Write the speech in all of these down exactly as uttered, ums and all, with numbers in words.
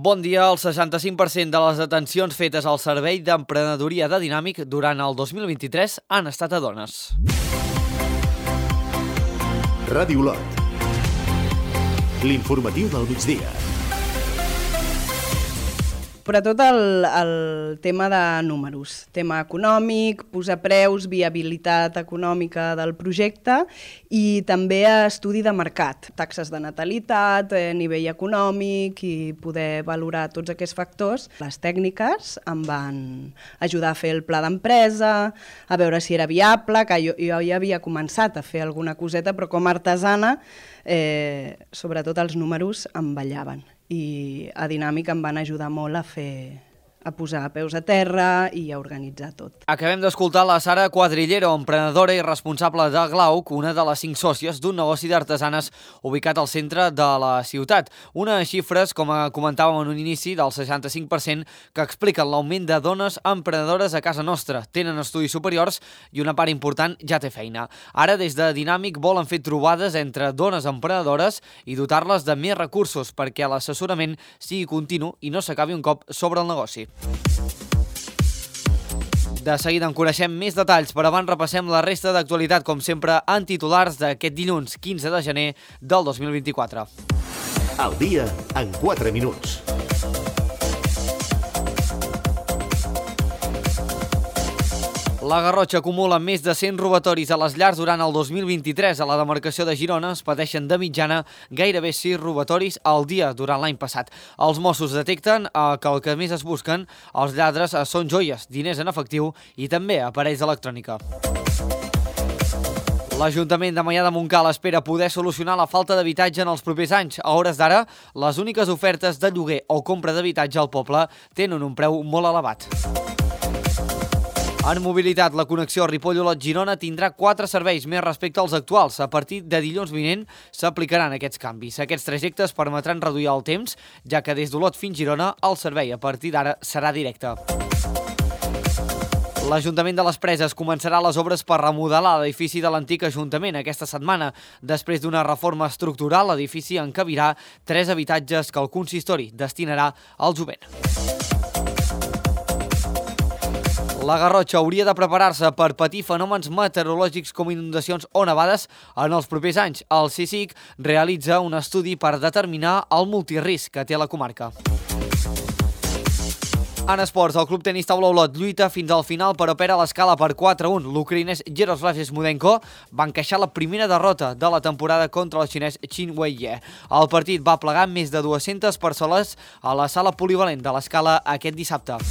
Bon dia. El seixanta-cinc per cent de les detencions fetes al Servei d'Emprenedoria de Dinàmic durant el dos mil vint-i-tres han estat a dones. Ràdio Lot. L'informatiu del migdia. Però tot el, el tema de números, tema econòmic, posar preus, viabilitat econòmica del projecte i també estudi de mercat, taxes de natalitat, eh, nivell econòmic i poder valorar tots aquests factors. Les tècniques em van ajudar a fer el pla d'empresa, a veure si era viable, que jo, jo ja havia començat a fer alguna coseta, però com a artesana, eh, sobretot els números em ballaven. I a Dinàmic em van ajudar molt a fer, a posar peus a terra i a organitzar tot. Acabem d'escoltar la Sara Quadrillero, emprenedora i responsable de Glauc, una de les cinc sòcies d'un negoci d'artesanes ubicat al centre de la ciutat. Unes xifres, com comentàvem en un inici, del seixanta-cinc per cent que expliquen l'augment de dones emprenedores a casa nostra. Tenen estudis superiors i una part important ja té feina. Ara, des de Dinàmic, volen fer trobades entre dones emprenedores i dotar-les de més recursos perquè l'assessorament sigui continu i no s'acabi un cop sobre el negoci. De seguida en coneixem més detalls, però abans repassem la resta d'actualitat, com sempre, en titulars d'aquest dilluns quinze de gener del dos mil vint-i-quatre. El dia en quatre minuts. La Garrotxa acumula més de cent robatoris a les llars durant el dos mil vint-i-tres. A la demarcació de Girona es pateixen de mitjana gairebé sis robatoris al dia durant l'any passat. Els Mossos detecten que el que més es busquen els lladres són joies, diners en efectiu i també aparells d'electrònica. L'Ajuntament de Maià de Montcal espera poder solucionar la falta d'habitatge en els propers anys. A hores d'ara, les úniques ofertes de lloguer o compra d'habitatge al poble tenen un preu molt elevat. En mobilitat, la connexió Ripoll-Olot-Girona tindrà quatre serveis més respecte als actuals. A partir de dilluns vinent s'aplicaran aquests canvis. Aquests trajectes permetran reduir el temps, ja que des d'Olot fins Girona el servei a partir d'ara serà directe. L'Ajuntament de les Preses començarà les obres per remodelar l'edifici de l'antic Ajuntament aquesta setmana. Després d'una reforma estructural, l'edifici encabirà tres habitatges que el consistori destinarà al jovent. La Garrotxa hauria de preparar-se per patir fenòmens meteorològics com inundacions o nevades en els propers anys. El CSIC realitza un estudi per determinar el multirisc que té la comarca. En esports, el club tenis taula Olot lluita fins al final però perd a l'escala per quatre a un. L'ucraïnès Yaroslav Smudenko va encaixar la primera derrota de la temporada contra el xinès Qin Weiye. El partit va plegar més de dues-centes persones a la sala polivalent de l'escala aquest dissabte.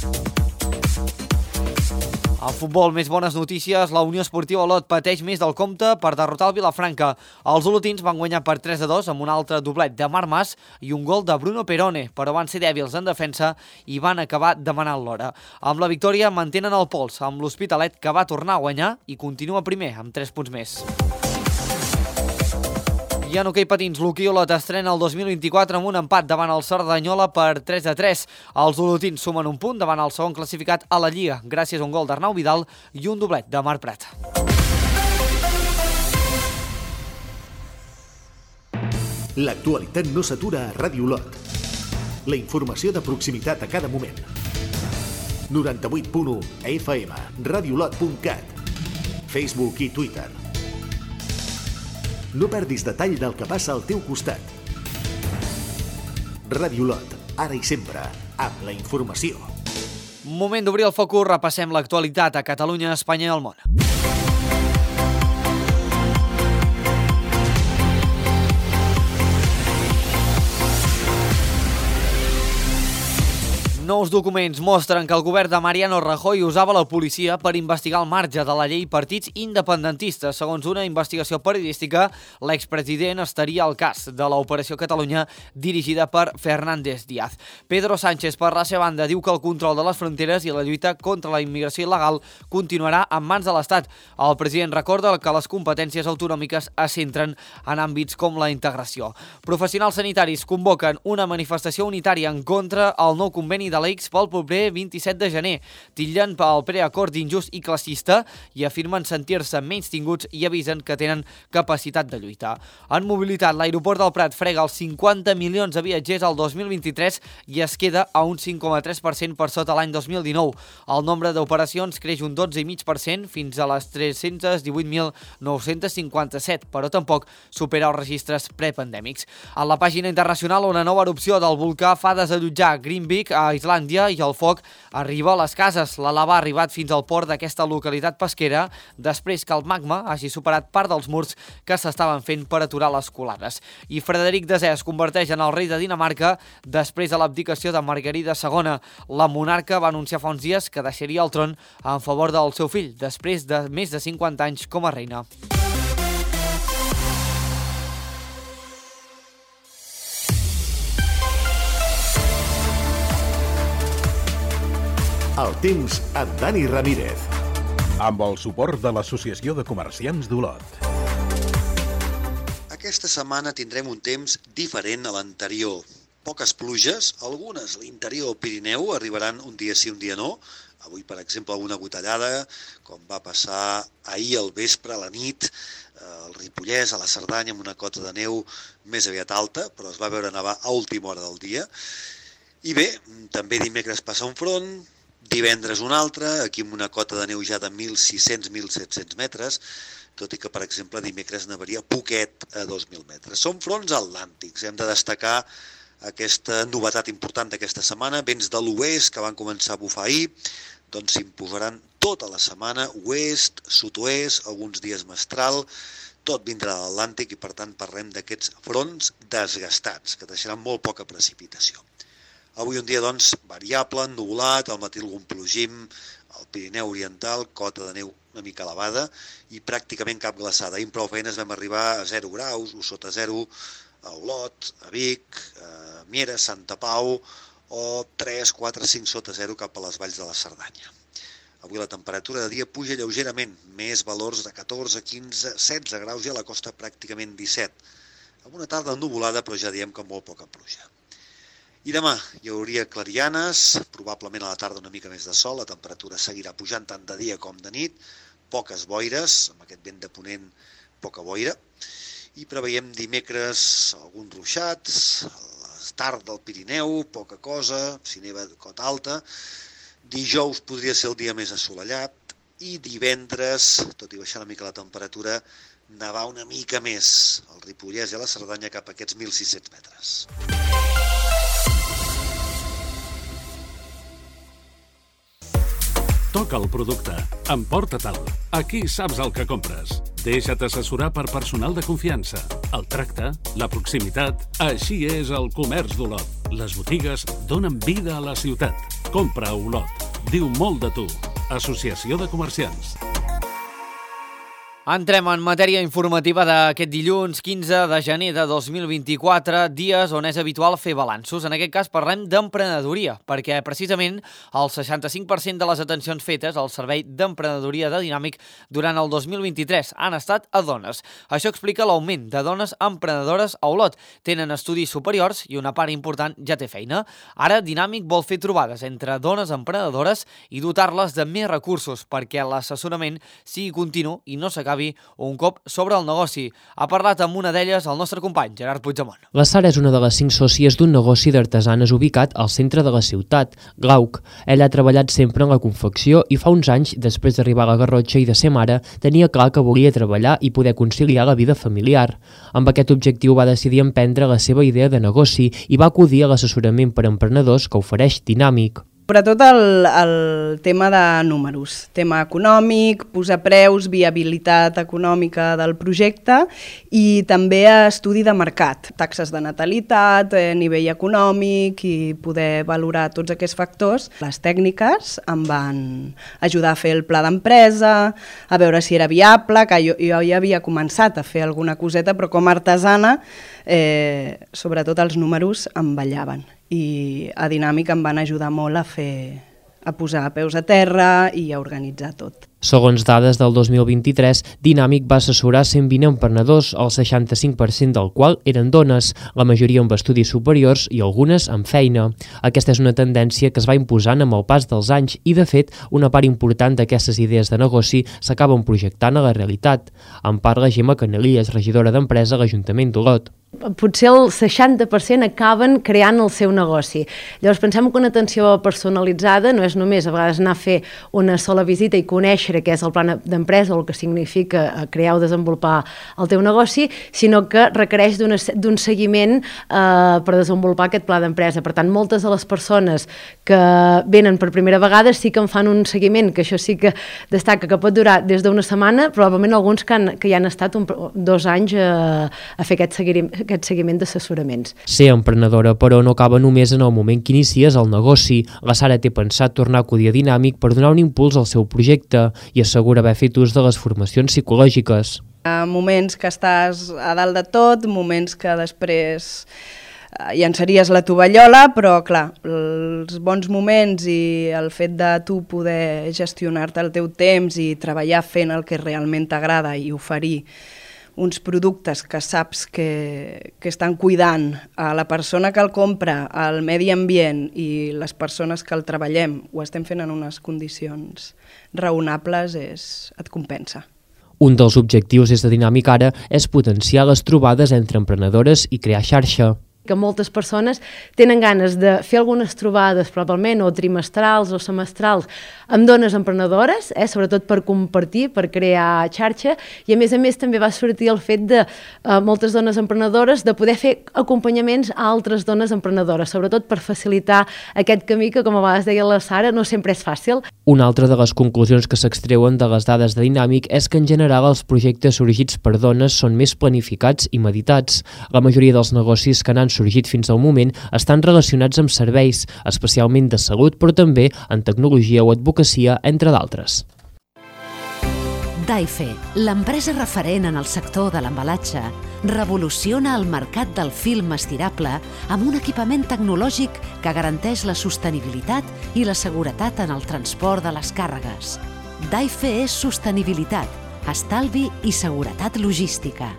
Al futbol, més bones notícies, la Unió Esportiva Olot pateix més del compte per derrotar el Vilafranca. Els olotins van guanyar per tres a dos amb un altre doblet de Marc Mas i un gol de Bruno Perone, però van ser dèbils en defensa i van acabar demanant l'hora. Amb la victòria mantenen el pols amb l'Hospitalet, que va tornar a guanyar i continua primer amb tres punts més. I en hoquei patins, l'Hoquei Olot estrena el dos mil vint-i-quatre amb un empat davant el Cerdanyola per tres a tres. Els olotins sumen un punt davant el segon classificat a la Lliga, gràcies a un gol d'Arnau Vidal i un doblet de Marc Prat. L'actualitat no s'atura a Ràdio Lot. La informació de proximitat a cada moment. noranta-vuit punt u F M, radiolot punt cat, Facebook i Twitter. No perdis detall del que passa al teu costat. Ràdio Lot, ara i sempre, amb la informació. Moment d'obrir el focus, repassem l'actualitat a Catalunya, Espanya i el món. Nous documents mostren que el govern de Mariano Rajoy usava la policia per investigar al marge de la llei partits independentistes. Segons una investigació periodística, l'expresident estaria al cas de l'Operació Catalunya dirigida per Fernández Díaz. Pedro Sánchez, per la seva banda, diu que el control de les fronteres i la lluita contra la immigració il·legal continuarà en mans de l'Estat. El president recorda que les competències autonòmiques es centren en àmbits com la integració. Professionals sanitaris convoquen una manifestació unitària en contra al nou conveni de l'X pel proper vint-i-set de gener. Titllen pel preacord d'injust i classista i afirmen sentir-se menys tinguts i avisen que tenen capacitat de lluitar. En mobilitat, l'aeroport del Prat frega els cinquanta milions de viatgers al dos mil vint-i-tres i es queda a un cinc coma tres per cent per sota l'any dos mil dinou. El nombre d'operacions creix un dotze coma cinc per cent fins a les tres-cents divuit mil nou-cents cinquanta-set, però tampoc supera els registres prepandèmics. A la pàgina internacional, una nova erupció del volcà fa desallotjar Greenvik a Islàndia i el foc arriba a les cases. La lava ha arribat fins al port d'aquesta localitat pesquera després que el magma hagi superat part dels murs que s'estaven fent per aturar les colades. I Frederic desè es converteix en el rei de Dinamarca després de l'abdicació de Margarida segona. La monarca va anunciar fa uns dies que deixaria el tron en favor del seu fill, després de més de cinquanta anys com a reina. El temps amb Dani Ramírez. Amb el suport de l'Associació de Comerciants d'Olot. Aquesta setmana tindrem un temps diferent a l'anterior. Poques pluges, algunes a l'interior del Pirineu arribaran un dia sí, un dia no. Avui, per exemple, alguna gotellada, com va passar ahir al vespre, a la nit, al Ripollès, a la Cerdanya, amb una cota de neu més aviat alta, però es va veure nevar a última hora del dia. I bé, també dimecres passa un front, divendres un altre, aquí amb una cota de neu ja de mil sis-cents a mil set-cents metres, tot i que, per exemple, dimecres nevaria poquet a dos mil metres. Són fronts atlàntics, hem de destacar aquesta novetat important d'aquesta setmana, vents de l'oest que van començar a bufar ahir, doncs s'imposaran tota la setmana, oest, sud-oest, alguns dies mestral, tot vindrà de l'Atlàntic i per tant parlem d'aquests fronts desgastats, que deixaran molt poca precipitació. Avui un dia, doncs, variable, ennuvolat, al matí algun plogim, al Pirineu Oriental, cota de neu una mica elevada i pràcticament cap glaçada. Ahir amb prou feines vam arribar a zero graus o sota zero a Olot, a Vic, a Mieres, Santa Pau o tres, quatre, cinc sota zero cap a les valls de la Cerdanya. Avui la temperatura de dia puja lleugerament, més valors de catorze, quinze, setze graus i a la costa pràcticament disset. Amb una tarda ennuvolada, però ja diem que molt poca pluja. I demà hi hauria clarianes, probablement a la tarda una mica més de sol, la temperatura seguirà pujant tant de dia com de nit, poques boires, amb aquest vent de ponent poca boira, i preveiem dimecres alguns ruixats, a la tard del Pirineu, poca cosa, si neva cota alta, dijous podria ser el dia més assolellat, i divendres, tot i baixar una mica la temperatura, nevar una mica més al Ripollès i a la Cerdanya cap a aquests mil sis-cents metres. Toca el producte, emporta-te'l. Aquí saps el que compres. Deixa't assessorar per personal de confiança. El tracte, la proximitat, així és el comerç d'Olot. Les botigues donen vida a la ciutat. Compra a Olot. Diu molt de tu. Associació de Comerciants. Entrem en matèria informativa d'aquest dilluns quinze de gener de dos mil vint-i-quatre, dies on és habitual fer balanços. En aquest cas parlem d'emprenedoria, perquè precisament el seixanta-cinc per cent de les atencions fetes al Servei d'Emprenedoria de Dinàmic durant el dos mil vint-i-tres han estat a dones. Això explica l'augment de dones emprenedores a Olot. Tenen estudis superiors i una part important ja té feina. Ara Dinàmic vol fer trobades entre dones emprenedores i dotar-les de més recursos perquè l'assessorament sigui continu i no s'acabi un cop sobre el negoci. Ha parlat amb una d'elles el nostre company, Gerard Puigdemont. La Sara és una de les cinc sòcies d'un negoci d'artesanes ubicat al centre de la ciutat, Glauc. Ella ha treballat sempre en la confecció i fa uns anys, després d'arribar a la Garrotxa i de ser mare, tenia clar que volia treballar i poder conciliar la vida familiar. Amb aquest objectiu va decidir emprendre la seva idea de negoci i va acudir a l'assessorament per a emprenedors que ofereix Dinàmic. Sobretot el, el tema de números, tema econòmic, posar preus, viabilitat econòmica del projecte i també estudi de mercat, taxes de natalitat, eh, nivell econòmic i poder valorar tots aquests factors. Les tècniques em van ajudar a fer el pla d'empresa, a veure si era viable, que jo, jo ja havia començat a fer alguna coseta, però com a artesana, eh, sobretot els números em ballaven. I a Dinàmic em van ajudar molt a fer, a posar peus a terra i a organitzar tot. Segons dades del dos mil vint-i-tres, Dinàmic va assessorar cent vint emprenedors, el seixanta-cinc per cent del qual eren dones, la majoria amb estudis superiors i algunes amb feina. Aquesta és una tendència que es va imposant amb el pas dels anys i, de fet, una part important d'aquestes idees de negoci s'acaben projectant a la realitat. En parla Gemma Canelillas, regidora d'Empresa a l'Ajuntament d'Olot. Potser el seixanta per cent acaben creant el seu negoci. Llavors pensem que una atenció personalitzada no és només a vegades anar a fer una sola visita i conèixer què és el pla d'empresa o el que significa crear o desenvolupar el teu negoci, sinó que requereix d'un seguiment eh, per desenvolupar aquest pla d'empresa. Per tant, moltes de les persones que venen per primera vegada sí que en fan un seguiment, que això sí que destaca, que pot durar des d'una setmana, probablement alguns que, han, que ja han estat un, dos anys a, a fer aquest seguiment aquest seguiment d'assessoraments. Ser emprenedora, però, no acaba només en el moment que inicies el negoci. La Sara té pensat tornar a acudir a Dinàmic per donar un impuls al seu projecte i assegura haver fet ús de les formacions psicològiques. Moments que estàs a dalt de tot, moments que després llançaries la tovallola, però clar, els bons moments i el fet de tu poder gestionar-te el teu temps i treballar fent el que realment t'agrada i oferir uns productes que saps que, que estan cuidant a la persona que el compra, al medi ambient i les persones que el treballem, ho estem fent en unes condicions raonables, és, et compensa. Un dels objectius des de Dinàmic ara és potenciar les trobades entre emprenedores i crear xarxa. Que moltes persones tenen ganes de fer algunes trobades, probablement, o trimestrals o semestrals, amb dones emprenedores, eh, sobretot per compartir, per crear xarxa, i a més a més també va sortir el fet de eh, moltes dones emprenedores de poder fer acompanyaments a altres dones emprenedores, sobretot per facilitar aquest camí que, com a vegades deia la Sara, no sempre és fàcil. Una altra de les conclusions que s'extreuen de les dades de Dinàmic és que en general els projectes sorgits per dones són més planificats i meditats. La majoria dels negocis que n'han sorgit fins al moment estan relacionats amb serveis, especialment de salut, però també en tecnologia o advocacia, entre d'altres. Daife, l'empresa referent en el sector de l'embalatge, revoluciona el mercat del film estirable amb un equipament tecnològic que garanteix la sostenibilitat i la seguretat en el transport de les càrregues. Daife és sostenibilitat, estalvi i seguretat logística.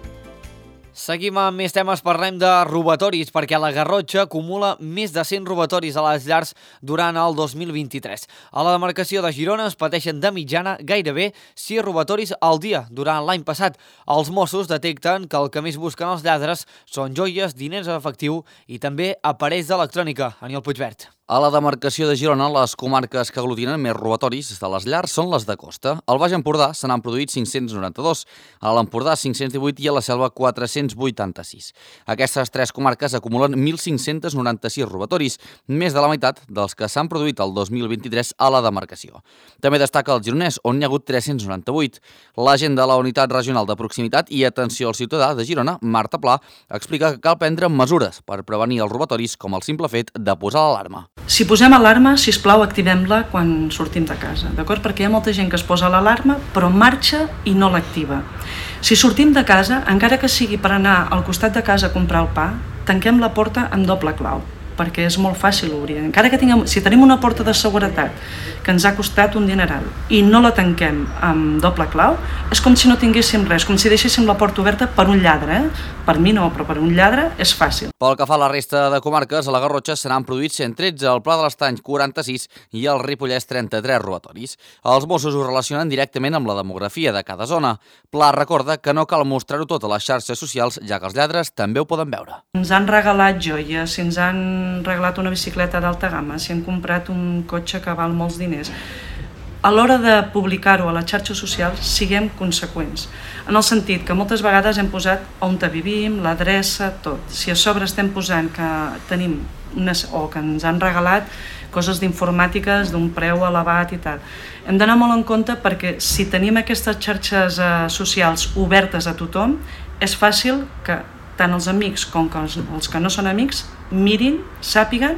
Seguim amb més temes, parlem de robatoris, perquè la Garrotxa acumula més de cent robatoris a les llars durant el dos mil vint-i-tres. A la demarcació de Girona es pateixen de mitjana gairebé sis robatoris al dia durant l'any passat. Els Mossos detecten que el que més busquen els lladres són joies, diners en efectiu i també aparells d'electrònica. Aniol Puigvert. A la demarcació de Girona, les comarques que aglutinen més robatoris de les llars són les de costa. Al Baix Empordà se n'han produït cinc-cents noranta-dos, a l'Empordà cinc-cents divuit i a la Selva quatre-cents vuitanta-sis. Aquestes tres comarques acumulen mil cinc-cents noranta-sis robatoris, més de la meitat dels que s'han produït el dos mil vint-i-tres a la demarcació. També destaca el Gironès, on n'hi ha hagut tres-cents noranta-vuit. L'agent de la Unitat Regional de Proximitat i Atenció al Ciutadà de Girona, Marta Pla, explica que cal prendre mesures per prevenir els robatoris, com el simple fet de posar l'alarma. Si posem alarma, sisplau, activem-la quan sortim de casa, d'acord? Perquè hi ha molta gent que es posa l'alarma, però marxa i no l'activa. Si sortim de casa, encara que sigui per anar al costat de casa a comprar el pa, tanquem la porta amb doble clau, perquè és molt fàcil obrir. Encara que tinguem, si tenim una porta de seguretat que ens ha costat un dineral i no la tanquem amb doble clau, és com si no tinguéssim res, com si deixéssim la porta oberta per un lladre. Eh? Per mi no, però per un lladre és fàcil. Pel que fa a la resta de comarques, a la Garrotxa se n'han produït cent tretze, al Pla de l'Estany quaranta-sis i al Ripollès trenta-tres robatoris. Els Mossos ho relacionen directament amb la demografia de cada zona. Pla recorda que no cal mostrar-ho tot a les xarxes socials, ja que els lladres també ho poden veure. Ens han regalat joies, si ens han regalat una bicicleta d'alta gamma, si han comprat un cotxe que val molts diners. A l'hora de publicar-ho a les xarxes socials, siguem conseqüents. En el sentit que moltes vegades hem posat on vivim, l'adreça, tot. Si a sobre estem posant que tenim unes, o que ens han regalat coses d'informàtiques d'un preu elevat i tal, hem d'anar molt en compte perquè si tenim aquestes xarxes eh, socials obertes a tothom, és fàcil que tant els amics com que els, els que no són amics mirin, sàpiguen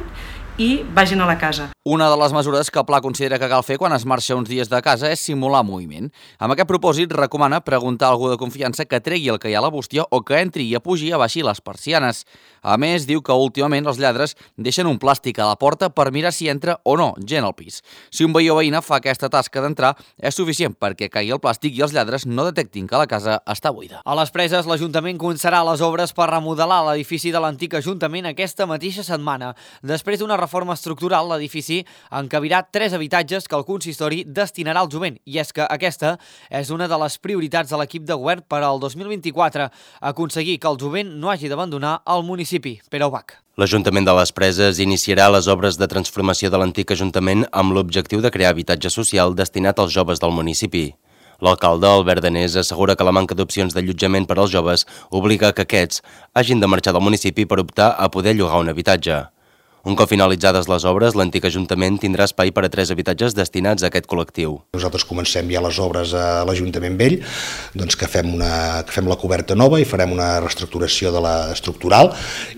i vagin a la casa. Una de les mesures que el Pla considera que cal fer quan es marxa uns dies de casa és simular moviment. Amb aquest propòsit recomana preguntar a algú de confiança que tregui el que hi ha a la bústia o que entri i apugi a baixir les persianes. A més, diu que últimament els lladres deixen un plàstic a la porta per mirar si entra o no gent al pis. Si un veí o veïna fa aquesta tasca d'entrar, és suficient perquè caigui el plàstic i els lladres no detectin que la casa està buida. A les Preses, l'Ajuntament començarà les obres per remodelar l'edifici de l'antic Ajuntament aquesta mateixa setmana. Després d'una reforma estructural, l'edifici encabirà tres habitatges que el consistori destinarà al jovent, i és que aquesta és una de les prioritats de l'equip de govern per al dos mil vint-i-quatre, aconseguir que el jovent no hagi d'abandonar el municipi. Pere Ubach. L'Ajuntament de les Preses iniciarà les obres de transformació de l'antic Ajuntament amb l'objectiu de crear habitatge social destinat als joves del municipi. L'alcalde, Albert Danés, assegura que la manca d'opcions d'allotjament per als joves obliga que aquests hagin de marxar del municipi per optar a poder llogar un habitatge. Un cop finalitzades les obres, l'antic Ajuntament tindrà espai per a tres habitatges destinats a aquest col·lectiu. Nosaltres comencem ja les obres a l'Ajuntament Vell, doncs que fem, una, que fem la coberta nova i farem una reestructuració de la estructural,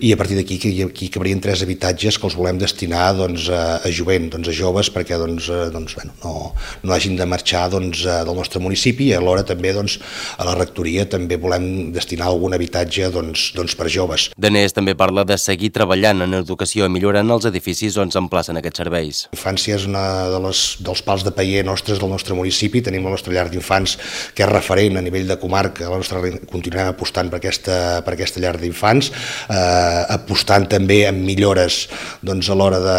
i a partir d'aquí aquí cabrien tres habitatges que els volem destinar doncs, a, a jovent, doncs, a joves, perquè doncs, doncs, bueno, no, no hagin de marxar doncs, del nostre municipi, i alhora també doncs, a la rectoria també volem destinar algun habitatge doncs, doncs, per joves. Danés també parla de seguir treballant en educació i millorar en els edificis on s'emplacen aquests serveis. La infància és una de les, dels pals de paller nostres del nostre municipi. Tenim la nostra llar d'infants que és referent a nivell de comarca. La nostra, continuem apostant per aquesta, per aquesta llar d'infants, eh, apostant també en millores doncs, a l'hora de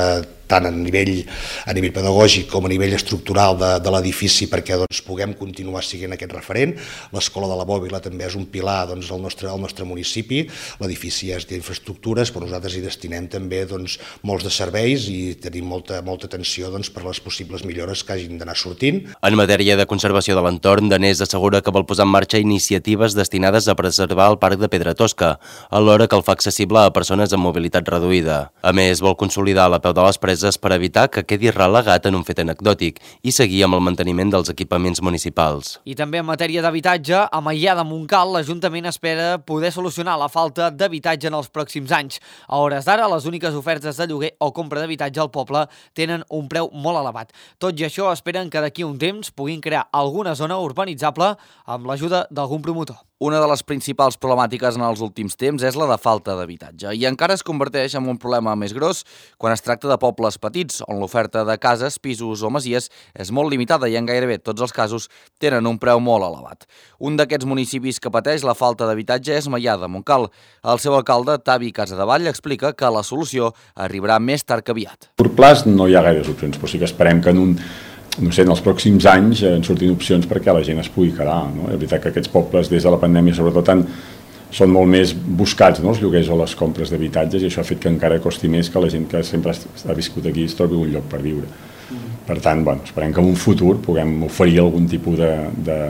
tant a nivell, a nivell pedagògic com a nivell estructural de, de l'edifici, perquè doncs, puguem continuar siguent aquest referent. L'escola de la Bòbila també és un pilar doncs, del nostre, del nostre municipi. L'edifici és d'infraestructures, però nosaltres hi destinem també doncs, molts de serveis i tenim molta, molta atenció doncs, per les possibles millores que hagin d'anar sortint. En matèria de conservació de l'entorn, Danés assegura que vol posar en marxa iniciatives destinades a preservar el Parc de Pedra Tosca, alhora que el fa accessible a persones amb mobilitat reduïda. A més, vol consolidar la peu de les Preses per evitar que quedi relegat en un fet anecdòtic i seguir amb el manteniment dels equipaments municipals. I també en matèria d'habitatge, a Maià de Montcal, l'Ajuntament espera poder solucionar la falta d'habitatge en els pròxims anys. A hores d'ara, les úniques ofertes de lloguer o compra d'habitatge al poble tenen un preu molt elevat. Tot i això, esperen que d'aquí un temps puguin crear alguna zona urbanitzable amb l'ajuda d'algun promotor. Una de les principals problemàtiques en els últims temps és la de falta d'habitatge i encara es converteix en un problema més gros quan es tracta de pobles petits, on l'oferta de cases, pisos o masies és molt limitada i en gairebé tots els casos tenen un preu molt elevat. Un d'aquests municipis que pateix la falta d'habitatge és Maià de Montcal. El seu alcalde, Tavi Casadevall, explica que la solució arribarà més tard que aviat. A curt plaç no hi ha gaires opcions, però sí que esperem que en un no sé, en els pròxims anys en surtin opcions perquè la gent es pugui quedar. No? És veritat que aquests pobles, des de la pandèmia, sobretot, han, són molt més buscats, no? Els lloguers o les compres d'habitatges, i això ha fet que encara costi més que la gent que sempre ha viscut aquí es trobi un lloc per viure. Per tant, bueno, esperem que en un futur puguem oferir algun tipus de, de,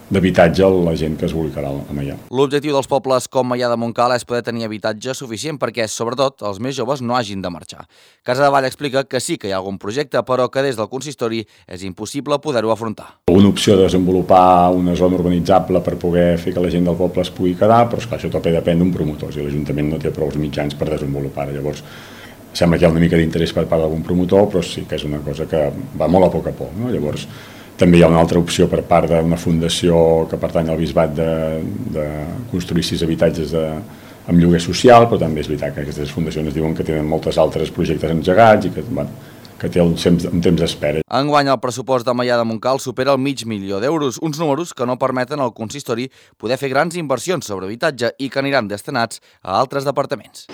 d'habitatge a la gent que es vulgui quedar a Maià. L'objectiu dels pobles com Maià de Montcal és poder tenir habitatge suficient perquè, sobretot, els més joves no hagin de marxar. Casadevall explica que sí que hi ha algun projecte, però que des del consistori és impossible poder-ho afrontar. Una opció de desenvolupar una zona urbanitzable per poder fer que la gent del poble es pugui quedar, però esclar, això també depèn d'un promotor, i l'Ajuntament no té prou mitjans per desenvolupar-ho. Llavors, sembla que hi ha una mica d'interès per part d'algun promotor, però sí que és una cosa que va molt a poc a poc, no? Llavors, també hi ha una altra opció per part d'una fundació que pertany al bisbat de, de construir sis habitatges de, amb lloguer social, però també és veritat que aquestes fundacions diuen que tenen moltes altres projectes engegats i que, bueno, que té un temps, un temps d'espera. Enguany el pressupost de Maià de Montcal supera el mig milió d'euros, uns números que no permeten al consistori poder fer grans inversions sobre habitatge i que aniran destinats a altres departaments.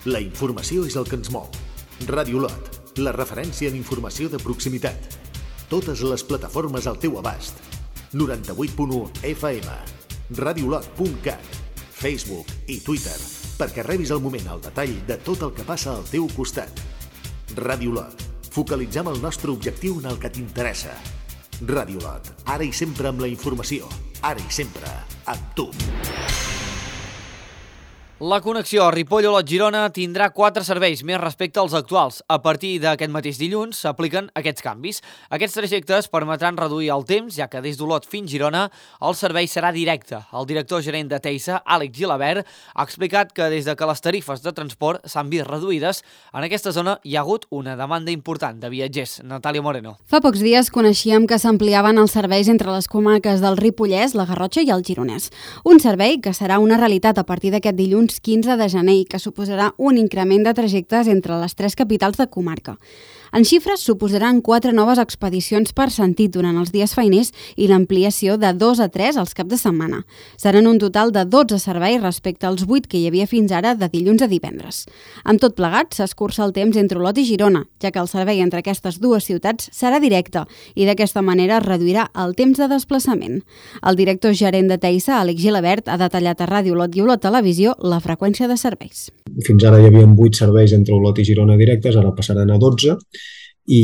La informació és el que ens mou. Ràdio Lot, la referència en informació de proximitat. Totes les plataformes al teu abast. noranta-vuit punt u F M, radiolot punt cat, Facebook i Twitter, perquè rebis al moment el detall de tot el que passa al teu costat. Ràdio Lot, focalitzem el nostre objectiu en el que t'interessa. Ràdio Lot, ara i sempre amb la informació, ara i sempre amb tu. La connexió Ripoll-Olot-Girona tindrà quatre serveis més respecte als actuals. A partir d'aquest mateix dilluns s'apliquen aquests canvis. Aquests trajectes permetran reduir el temps, ja que des d'Olot fins Girona el servei serà directe. El director gerent de Teisa, Àlex Gilabert, ha explicat que des de que les tarifes de transport s'han vist reduïdes, en aquesta zona hi ha hagut una demanda important de viatgers. Natàlia Moreno. Fa pocs dies coneixíem que s'ampliaven els serveis entre les comarques del Ripollès, la Garrotxa i el Gironès. Un servei que serà una realitat a partir d'aquest dilluns quinze de gener i que suposarà un increment de trajectes entre les tres capitals de comarca. En xifres, suposaran quatre noves expedicions per sentit durant els dies feiners i l'ampliació de dos a tres als caps de setmana. Seran un total de dotze serveis respecte als vuit que hi havia fins ara de dilluns a divendres. Amb tot plegat, s'escurça el temps entre Olot i Girona, ja que el servei entre aquestes dues ciutats serà directe i d'aquesta manera reduirà el temps de desplaçament. El director gerent de Teisa, Àlex Gilabert, ha detallat a Ràdio Olot i Olot Televisió la freqüència de serveis. Fins ara hi havia vuit serveis entre Olot i Girona directes, ara passaran a dotze, i,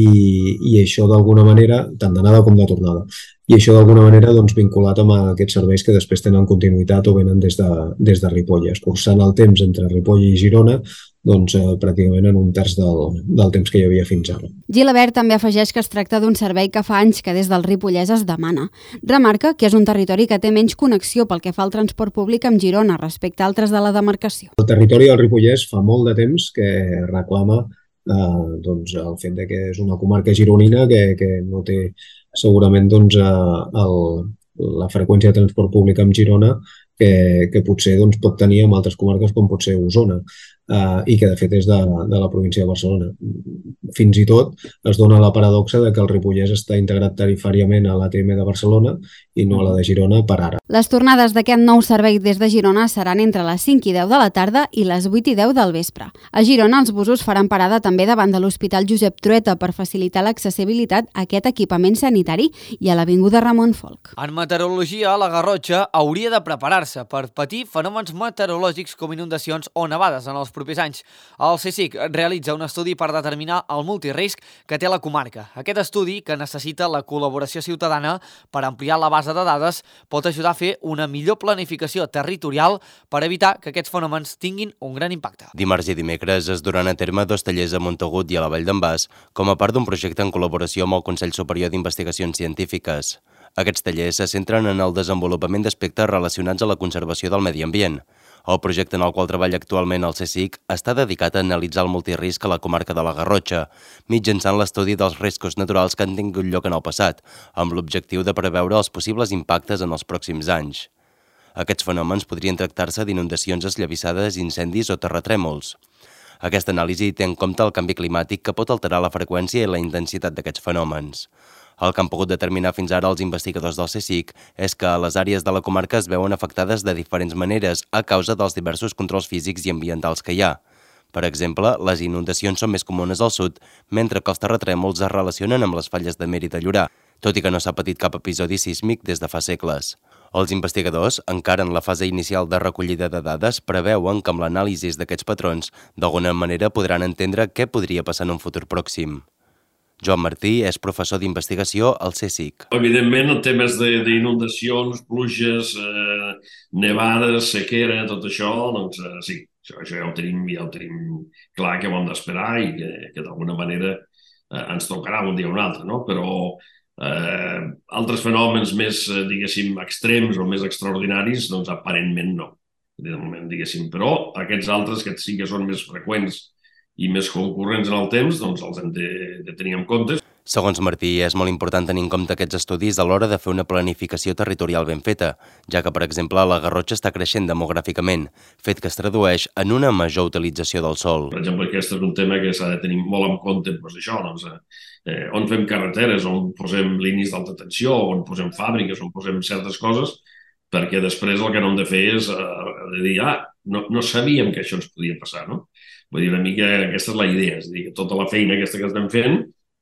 i això d'alguna manera, tant d'anada com de tornada, i això d'alguna manera doncs, vinculat amb aquests serveis que després tenen continuïtat o venen des de, des de Ripoll, escurçant el temps entre Ripoll i Girona doncs, eh, pràcticament en un terç del, del temps que hi havia fins ara. Gilabert també afegeix que es tracta d'un servei que fa anys que des del Ripollès es demana. Remarca que és un territori que té menys connexió pel que fa al transport públic amb Girona respecte a altres de la demarcació. El territori del Ripollès fa molt de temps que reclama eh, doncs, el fet de que és una comarca gironina que, que no té segurament doncs, eh, el, la freqüència de transport públic amb Girona que, que potser doncs, pot tenir en altres comarques com pot ser Osona. Uh, i que de fet és de, de la província de Barcelona. Fins i tot es dona la paradoxa de que el Ripollès està integrat tarifàriament a l'A T M de Barcelona i no a la de Girona per ara. Les tornades d'aquest nou servei des de Girona seran entre les cinc i deu de la tarda i les vuit i deu del vespre. A Girona els busos faran parada també davant de l'Hospital Josep Trueta per facilitar l'accessibilitat a aquest equipament sanitari i a l'Avinguda Ramon Folch. En meteorologia, la Garrotxa hauria de preparar-se per patir fenòmens meteorològics com inundacions o nevades en els propers anys. El CSIC realitza un estudi per determinar el multirisc que té la comarca. Aquest estudi, que necessita la col·laboració ciutadana per ampliar la base de dades, pot ajudar a fer una millor planificació territorial per evitar que aquests fenòmens tinguin un gran impacte. Dimarts i dimecres es duran a terme dos tallers a Montagut i a la Vall d'en Bas com a part d'un projecte en col·laboració amb el Consell Superior d'Investigacions Científiques. Aquests tallers se centren en el desenvolupament d'aspectes relacionats a la conservació del medi ambient. El projecte en el qual treballa actualment el CSIC està dedicat a analitzar el multirisc a la comarca de la Garrotxa, mitjançant l'estudi dels riscos naturals que han tingut lloc en el passat, amb l'objectiu de preveure els possibles impactes en els pròxims anys. Aquests fenòmens podrien tractar-se d'inundacions esllavissades, incendis o terratrèmols. Aquesta anàlisi té en compte el canvi climàtic que pot alterar la freqüència i la intensitat d'aquests fenòmens. El que han pogut determinar fins ara els investigadors del CSIC és que les àrees de la comarca es veuen afectades de diferents maneres a causa dels diversos controls físics i ambientals que hi ha. Per exemple, les inundacions són més comunes al sud, mentre que els terratrèmols es relacionen amb les falles de Mer i de Llorà, tot i que no s'ha patit cap episodi sísmic des de fa segles. Els investigadors, encara en la fase inicial de recollida de dades, preveuen que amb l'anàlisi d'aquests patrons, d'alguna manera podran entendre què podria passar en un futur pròxim. Joan Martí és professor d'investigació al CSIC. Evidentment, en temes d'inundacions, pluges, eh, nevades, sequera, tot això, doncs eh, sí, això, això ja, ho tenim, ja ho tenim clar que ho hem d'esperar i que, que d'alguna manera eh, ens tocarà un dia o un altre, no? Però eh, altres fenòmens més, diguéssim, extrems o més extraordinaris, doncs aparentment no. De moment, diguéssim, però aquests altres que sí que són més freqüents i més concurrents en el temps, doncs els hem de, de tenir en compte. Segons Martí, és molt important tenir en compte aquests estudis a l'hora de fer una planificació territorial ben feta, ja que, per exemple, la Garrotxa està creixent demogràficament, fet que es tradueix en una major utilització del sòl. Per exemple, aquest és un tema que s'ha de tenir molt en compte, doncs això, doncs, eh, on fem carreteres, on posem línies d'alta tensió, on posem fàbriques, on posem certes coses, perquè després el que no hem de fer és eh, de dir, ah, no, no sabíem que això ens podia passar, no? Vull dir, una mica aquesta és la idea, és a dir, que tota la feina aquesta que estem fent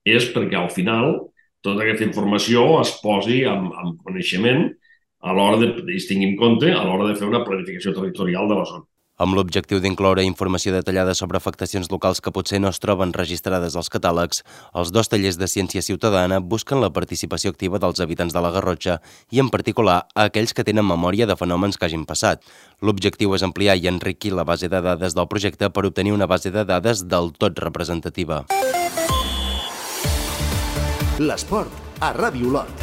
és perquè al final tota aquesta informació es posi amb, amb coneixement a l'hora de, es tingui en compte a l'hora de fer una planificació territorial de la zona. Amb l'objectiu d'incloure informació detallada sobre afectacions locals que potser no es troben registrades als catàlegs, els dos tallers de ciència ciutadana busquen la participació activa dels habitants de la Garrotxa i, en particular, a aquells que tenen memòria de fenòmens que hagin passat. L'objectiu és ampliar i enriquir la base de dades del projecte per obtenir una base de dades del tot representativa. L'esport a Ràdio Olot.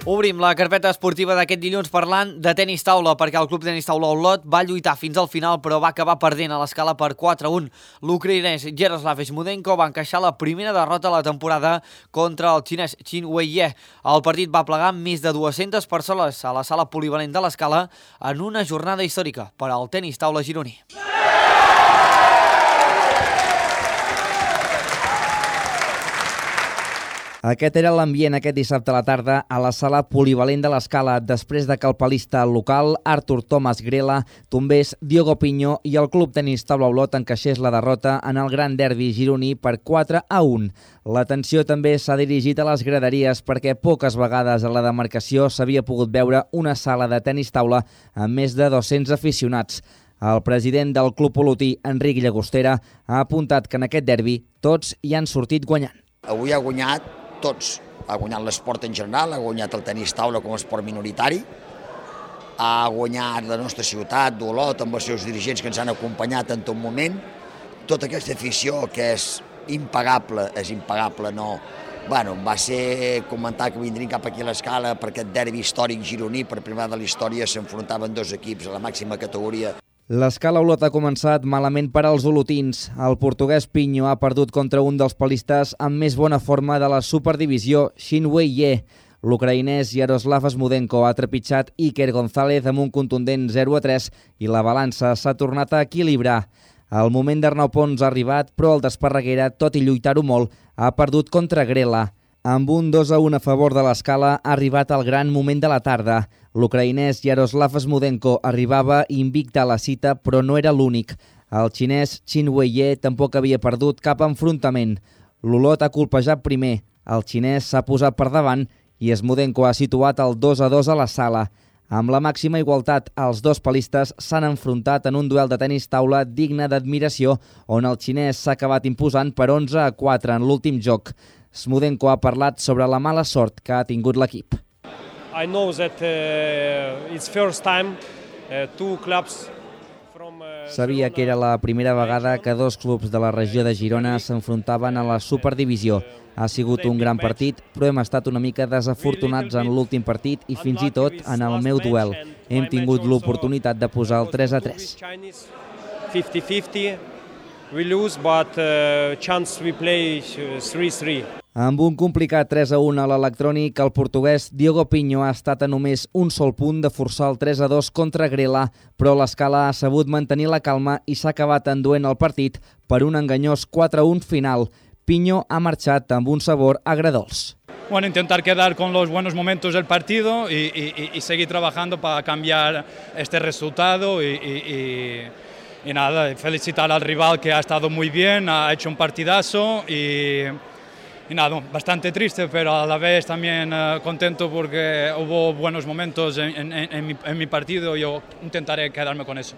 Obrim la carpeta esportiva d'aquest dilluns parlant de tenis taula, perquè el club tenis taula Olot va lluitar fins al final però va acabar perdent a l'escala per quatre a un. L'ucraïnès Yaroslav Smudenko va encaixar la primera derrota de la temporada contra el xinès Qin Weiye. El partit va plegar més de dues-centes persones a la sala polivalent de l'escala en una jornada històrica per al tenis taula gironí. Aquest era l'ambient aquest dissabte a la tarda a la sala polivalent de l'Escala, després de que el palista local, Artur Thomas Grela, tombés Diogo Piño i el club tenis taula Olot encaixés la derrota en el gran derbi gironí per quatre a un. L'atenció també s'ha dirigit a les graderies perquè poques vegades a la demarcació s'havia pogut veure una sala de tenis taula amb més de dos-cents aficionats. El president del club olotí, Enric Llagostera, ha apuntat que en aquest derbi tots hi han sortit guanyant. Avui ha guanyat tots. Ha guanyat l'esport en general, ha guanyat el tenis taula com a esport minoritari, ha guanyat la nostra ciutat d'Olot amb els seus dirigents que ens han acompanyat en tot moment. Tota aquesta afició que és impagable, és impagable, no... Bueno, va ser comentar que vindrien cap aquí a l'Escala per aquest derbi històric gironí, per primera de la història s'enfrontaven dos equips a la màxima categoria. L'escala Olot ha començat malament per als olotins. El portuguès Piño ha perdut contra un dels palistes amb més bona forma de la superdivisió, Qin Weiye. L'ucraïnès Yaroslav Smudenko ha trepitjat Iker González amb un contundent zero a tres i la balança s'ha tornat a equilibrar. El moment d'Arnau Pons ha arribat, però el d'Esparreguera, tot i lluitar-ho molt, ha perdut contra Grela. Amb un dos a un a favor de l'Escala ha arribat el gran moment de la tarda. L'ucraïnès Yaroslav Smudenko arribava invicte a la cita, però no era l'únic. El xinès Qin Weiye tampoc havia perdut cap enfrontament. L'Olot ha colpejat primer, el xinès s'ha posat per davant i Smudenko ha situat el dos a dos a la sala. Amb la màxima igualtat, els dos palistes s'han enfrontat en un duel de tenis taula digne d'admiració, on el xinès s'ha acabat imposant per onze a quatre en l'últim joc. Smudenko ha parlat sobre la mala sort que ha tingut l'equip. I know that uh, it's first time uh, two clubs from uh, Sabia que era la primera vegada que dos clubs de la regió de Girona s'enfrontaven a la Superdivisió. Ha sigut un gran partit, però hem estat una mica desafortunats en l'últim partit i fins i tot en el meu duel. Hem tingut l'oportunitat de posar el tres a tres. fifty fifty, we lose, but uh, chance we play three three. Amb un complicat tres a un a l'electrònic, el portuguès Diogo Piño ha estat a només un sol punt de forçar el tres a dos contra Grela, però l'Escala ha sabut mantenir la calma i s'ha acabat enduent el partit per un enganyós quatre a un final. Piño ha marxat amb un sabor agredolç. Bueno, intentar quedar con los buenos momentos del partido y, y, y seguir trabajando para cambiar este resultado y, y, y, y nada, felicitar al rival que ha estado muy bien, ha hecho un partidazo y... Y nada, bastante triste, pero a la vez también uh, contento porque hubo buenos momentos en, en, en, mi, en mi partido y yo intentaré quedarme con eso.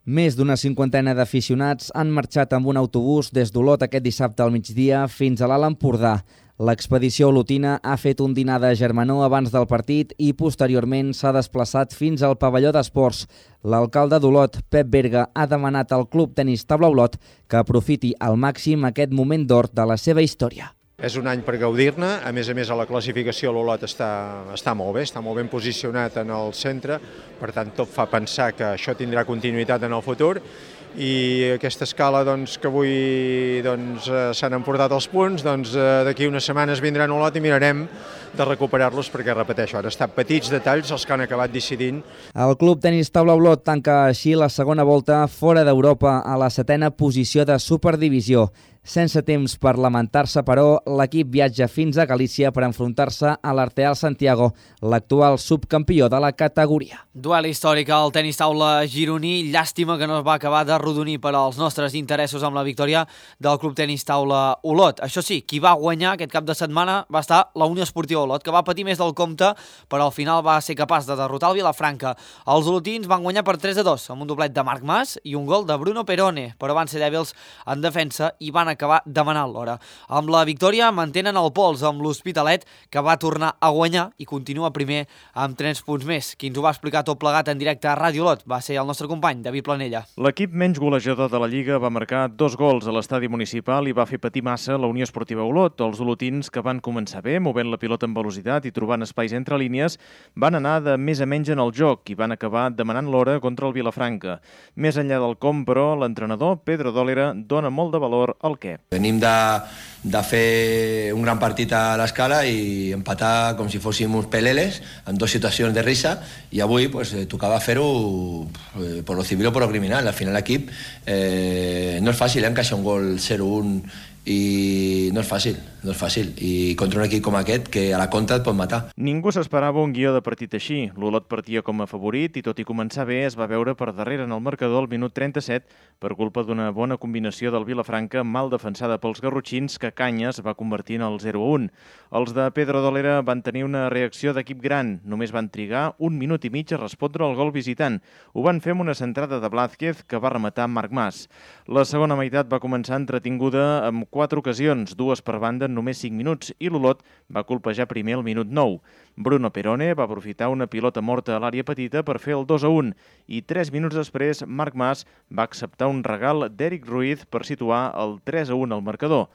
Més d'una cinquantena d'aficionats han marxat amb un autobús des d'Olot aquest dissabte al migdia fins a l'Alt Empordà. L'expedició olotina ha fet un dinar de germanor abans del partit i posteriorment s'ha desplaçat fins al pavelló d'esports. L'alcalde d'Olot, Pep Berga, ha demanat al Club Tenis Taula Olot que aprofiti al màxim aquest moment d'or de la seva història. És un any per gaudir-ne, a més a més a la classificació l'Olot està, està molt bé, està molt ben posicionat en el centre, per tant tot fa pensar que això tindrà continuïtat en el futur i aquesta escala doncs, que avui doncs, s'han emportat els punts, doncs, d'aquí unes setmanes vindran a Olot i mirarem de recuperar-los perquè, repeteixo, han estat petits detalls els que han acabat decidint. El Club Tenis Taula Olot tanca així la segona volta fora d'Europa a la setena posició de Superdivisió. Sense temps per lamentar-se, però, l'equip viatja fins a Galícia per enfrontar-se a l'Arteal Santiago, l'actual subcampió de la categoria. Duel històric al tenis taula gironí. Llàstima que no es va acabar de rodonir per als nostres interessos amb la victòria del Club Tenis Taula Olot. Això sí, qui va guanyar aquest cap de setmana va estar la Unió Esportiva Olot, que va patir més del compte, però al final va ser capaç de derrotar el Vilafranca. Els olotins van guanyar per tres a dos, amb un doblet de Marc Mas i un gol de Bruno Perone, però van ser dèbils en defensa i van acabar demanant l'hora. Amb la victòria mantenen el pols amb l'Hospitalet, que va tornar a guanyar i continua primer amb tres punts més. Qui ens ho va explicar tot plegat en directe a Ràdio Olot va ser el nostre company, David Planella. L'equip menys golejador de la Lliga va marcar dos gols a l'estadi municipal i va fer patir massa la Unió Esportiva Olot. Els olotins, que van començar bé, movent la pilota amb velocitat i trobant espais entre línies, van anar de més a menys en el joc i van acabar demanant l'hora contra el Vilafranca. Més enllà del com, però, l'entrenador, Pedro Dólera, dona molt de valor al què. Venim de, de fer un gran partit a l'Escala i empatar com si fóssim uns peleles en dues situacions de risa, i avui pues, tocava fer-ho eh, por lo civil o por lo criminal. Al final l'equip eh, no és fàcil, eh, encaixar un gol zero un i no és fàcil, no és fàcil. I contra un equip com aquest, que a la contra et pot matar. Ningú s'esperava un guió de partit així. L'Olot partia com a favorit i, tot i començar bé, es va veure per darrere en el marcador al minut trenta-set per culpa d'una bona combinació del Vilafranca mal defensada pels garrotxins, que Canyes va convertir en el zero a un. Els de Pedro Dólera van tenir una reacció d'equip gran. Només van trigar un minut i mig a respondre al gol visitant. Ho van fer amb una centrada de Blázquez, que va rematar Marc Mas. La segona meitat va començar entretinguda amb quatre ocasions, dues per banda en només cinc minuts, i l'Olot va colpejar primer al minut nou. Bruno Perone va aprofitar una pilota morta a l'àrea petita per fer el dos a un, i tres minuts després Marc Mas va acceptar un regal d'Eric Ruiz per situar el tres a un al marcador.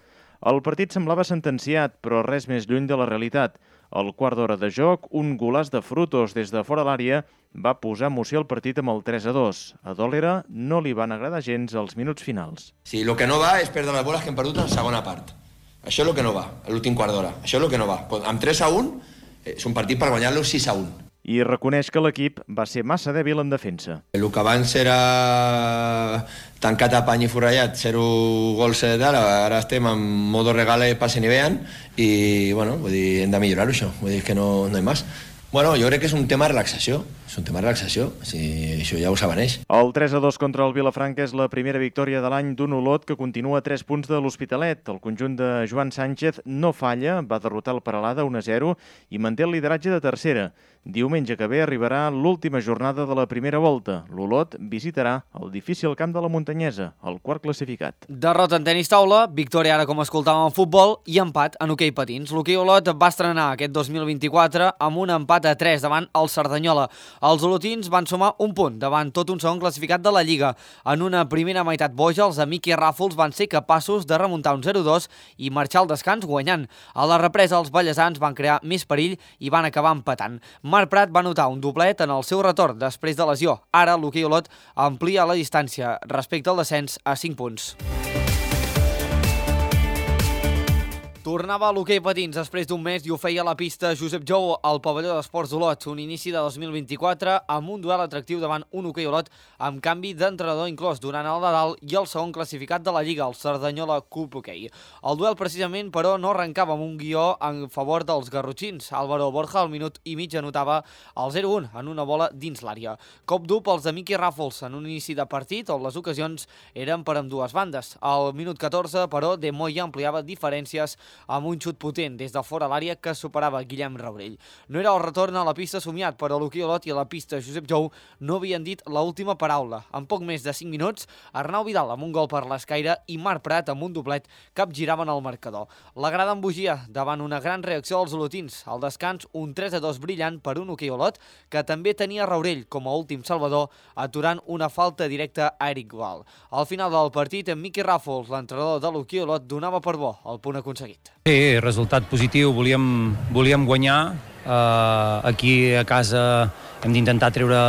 El partit semblava sentenciat, però res més lluny de la realitat. Al quart d'hora de joc, un golaç de Frutos des de fora l'àrea va posar emoció al partit amb el tres a dos. A Dólera no li van agradar gens els minuts finals. Sí, el que no va és perdre les boles que hem perdut en la segona part. Això és el que no va, l'últim quart d'hora. Això és el que no va. Amb tres a un és un partit per guanyar-lo sis a un. I reconeix que l'equip va ser massa dèbil en defensa. El que abans era tancat a pany i forrellat, zero gols de tal, ara estem en modo regale, passen i vean, i bueno, vull dir, hem de millorar-ho això, vull dir que no, no hi ha més. Bueno, jo crec que és un tema de relaxació, és un tema de relaxació, si això ja ho s'avaneix. El tres a dos contra el Vilafranca és la primera victòria de l'any d'un Olot que continua a tres punts de l'Hospitalet. El conjunt de Joan Sánchez no falla, va derrotar el Peralada un a zero i manté el lideratge de tercera. Diumenge que ve arribarà l'última jornada de la primera volta. L'Olot visitarà el difícil camp de la Muntanyesa, el quart classificat. Derrota en tenis taula, victòria ara com escoltàvem en futbol i empat en hoquei patins. L'hoquei Olot va estrenar aquest dos mil vint-i-quatre amb un empat a tres davant el Cerdanyola. Els olotins van sumar un punt davant tot un segon classificat de la Lliga. En una primera meitat boja, els amics i Ràfols van ser capaços de remuntar un zero a dos i marxar al descans guanyant. A la represa, els ballesans van crear més perill i van acabar empatant. Marc Prat va notar un doblet en el seu retorn després de lesió. Ara l'hoquei Olot amplia la distància respecte al descens a cinc punts. Tornava a l'hoquei patins després d'un mes i ho feia a la pista Josep Jou al pavelló d'Esports d'Olot. Un inici de dos mil vint-i-quatre amb un duel atractiu davant un hoquei Olot amb canvi d'entrenador inclòs durant el Nadal i el segon classificat de la Lliga, el Cerdanyola Cup Hoquei. El duel precisament, però, no arrencava amb un guió en favor dels garrotxins. Álvaro Borja al minut i mig anotava el zero a un en una bola dins l'àrea. Cop dur pels de Miqui Ràfols en un inici de partit on les ocasions eren per ambdues bandes. Al minut catorze, però, De Moya ampliava diferències amb un xut potent des de fora l'àrea que superava Guillem Raurell. No era el retorn a la pista somiat, però l'hoquei Olot i a la pista Josep Jou no havien dit l'última paraula. En poc més de cinc minuts, Arnau Vidal amb un gol per l'escaire i Marc Prat amb un doblet capgiraven el marcador. La grada embogia davant una gran reacció dels olotins. Al descans, un tres a dos brillant per un hoquei Olot que també tenia Raurell com a últim salvador, aturant una falta directa a Eric Gual. Al final del partit, en Miqui Ràfols, l'entrenador de l'hoquei Olot, donava per bo el punt aconseguit. Sí, resultat positiu, volíem, volíem guanyar, uh, aquí a casa hem d'intentar treure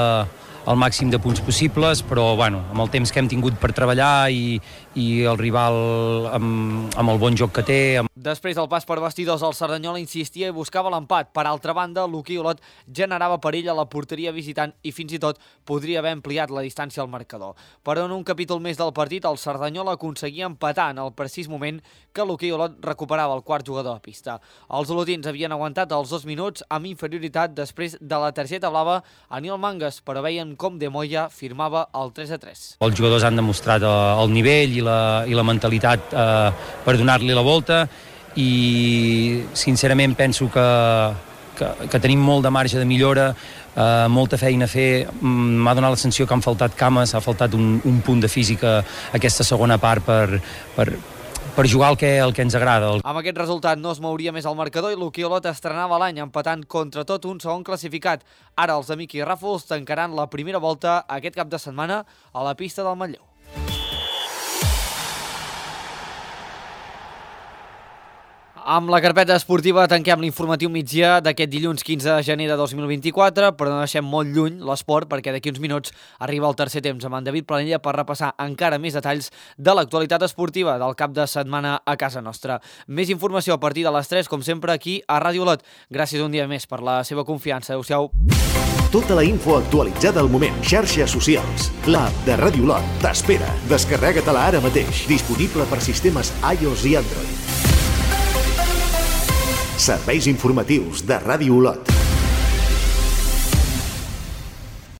el màxim de punts possibles, però bueno, amb el temps que hem tingut per treballar i, i el rival amb, amb el bon joc que té. Amb... Després del pas per vestidors, el Cerdanyola insistia i buscava l'empat. Per altra banda, l'hoquei Olot generava perill a la porteria visitant i fins i tot podria haver ampliat la distància al marcador. Però en un capítol més del partit, el Cerdanyola aconseguia empatar en el precís moment que l'hoquei Olot recuperava el quart jugador a pista. Els olotins havien aguantat els dos minuts amb inferioritat després de la targeta blava a Nil Mangas, però veien com De Moya firmava el tres a tres. Els jugadors han demostrat el nivell i la, i la mentalitat eh, per donar-li la volta i sincerament penso que, que, que tenim molt de marge de millora, eh, molta feina a fer. M'ha donat la sensació que han faltat cames, ha faltat un, un punt de física aquesta segona part per, per, per jugar el que, el que ens agrada. Amb aquest resultat no es mouria més el marcador i l'Hoquei Olot estrenava l'any empatant contra tot un segon classificat. Ara els de Miqui Ràfols tancaran la primera volta aquest cap de setmana a la pista del Manlleu. Amb la carpeta esportiva tanquem l'informatiu migdia d'aquest dilluns quinze de gener de dos mil vint-i-quatre, però no deixem molt lluny l'esport perquè d'aquí uns minuts arriba el tercer temps amb en David Planella per repassar encara més detalls de l'actualitat esportiva del cap de setmana a casa nostra. Més informació a partir de les tres, com sempre, aquí a Ràdio Olot. Gràcies un dia més per la seva confiança. Adéu-siau. Tota la info actualitzada al moment. Xarxes socials. L'app de Ràdio Olot t'espera. Descarrega-te-la ara mateix. Disponible per sistemes iOS i Android. Serveis informatius de Ràdio Olot.